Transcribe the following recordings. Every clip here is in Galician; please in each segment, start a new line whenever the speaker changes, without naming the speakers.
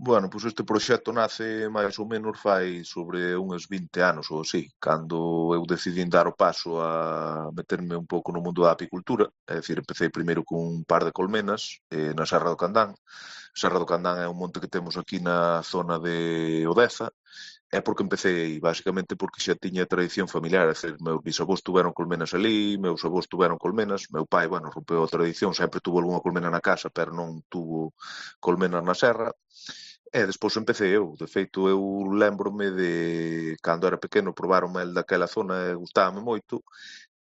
Bueno, pois este proxecto nace máis ou menos fai sobre uns 20 anos ou así, cando eu decidín dar o paso a meterme un pouco no mundo da apicultura, é dicir, empecé primeiro cun par de colmenas na Serra do Candán. A Serra do Candán é un monte que temos aquí na zona de Odeza. É porque empecé aí, basicamente porque xa tiña tradición familiar, é dicir, meus bisavós tuveron colmenas ali, meus avós tuveron colmenas, meu pai, bueno, rompeu a tradición, sempre tuvo algunha colmena na casa, pero non tuvo colmenas na serra. E despois empecé eu. De feito, eu lembrome de cando era pequeno probar o mel daquela zona e gustábame moito.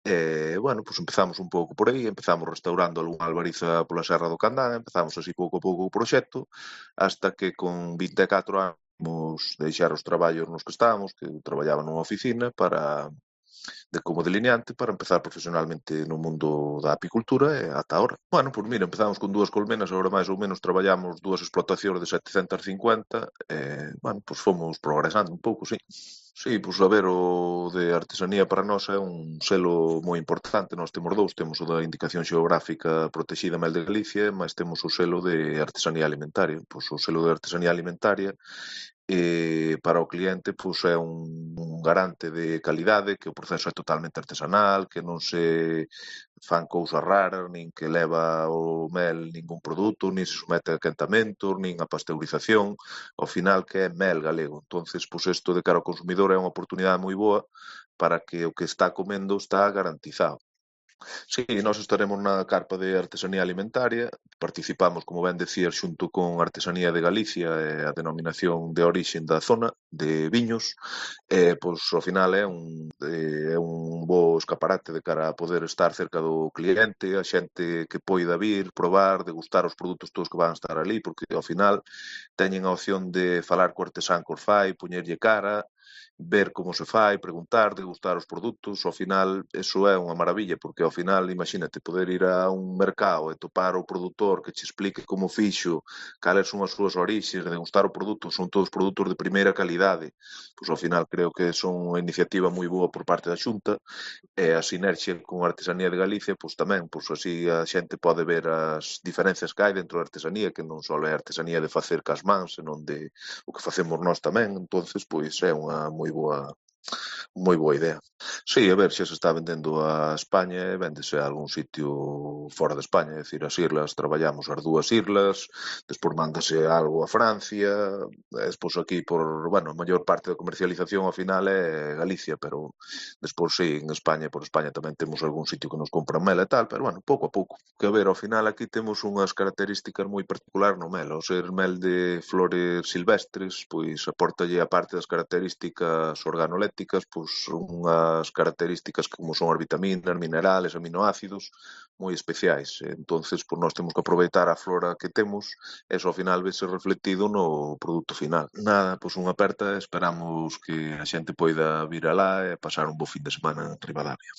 E, bueno, pois empezamos un pouco por aí, empezamos restaurando algunha albariza pola Serra do Candán, empezamos así pouco a pouco o proxecto, hasta que con 24 anos deixar os traballos nos que estábamos, que eu traballaba nunha oficina como delineante para empezar profesionalmente no mundo da apicultura e ata ahora. Bueno, pois mira, empezamos con dúas colmenas, agora máis ou menos traballamos dúas explotacións de 750 bueno, pois fomos progresando un pouco, sí. Sí, pois a ver, o de artesanía para nós é un selo moi importante. Nós temos dous, temos o da indicación xeográfica protexida Mel de Galicia, mas temos o selo de artesanía alimentaria. Pois o selo de artesanía alimentaria para o cliente pois é un garante de calidade, que o proceso é totalmente artesanal, que non se fan cousas raras, nin que leva o mel ningún produto, nin se somete a quentamentos, nin a pasteurización, ao final que é mel galego. Entonces, pois isto de cara ao consumidor é unha oportunidade moi boa para que o que está comendo está garantizado. Sí, nós estaremos na carpa de artesanía alimentaria, participamos, como ben decías, xunto con Artesanía de Galicia e a denominación de orixen da zona de viños, pois ao final é un bo escaparate de cara a poder estar cerca do cliente, a xente que poida vir, probar, degustar os produtos todos que van estar ali, porque ao final teñen a opción de falar co artesán que os fai, poñerlle cara, ver como se fai, preguntar, degustar os produtos, ao final eso é unha maravilla, porque ao final, imagínate, poder ir a un mercado e topar o produtor que che explique como fixo, cales son as súas orixes, degustar o produto, son todos produtos de primeira calidade, pois ao final creo que son unha iniciativa moi boa por parte da Xunta e a sinerxia con a Artesanía de Galicia, pois tamén, pois así a xente pode ver as diferencias que hai dentro da artesanía, que non só é artesanía de facer cas mans, senón de o que facemos nós tamén, entonces pois é unha moi boa idea. Sí, a ver, xa se está vendendo a España e véndese a algún sitio fora de España, é dicir, as islas, traballamos as dúas islas, despois mándase algo a Francia, e despois aquí bueno, a maior parte da comercialización ao final é Galicia, pero despois sí, en España, por España tamén temos algún sitio que nos compra mel e tal, pero bueno, pouco a pouco. Que a ver, ao final aquí temos unhas características moi particulares no mel, ao ser mel de flores silvestres, pois apórtalle a parte das características organolépticas, pois unhas características como son as vitaminas, minerales, aminoácidos moi especiais. Entonces, pois nós temos que aproveitar a flora que temos e iso ao final vese reflectido no produto final. Nada, pois unha aperta, esperamos que a xente poida vir alá e pasar un bo fin de semana en Ribadavia.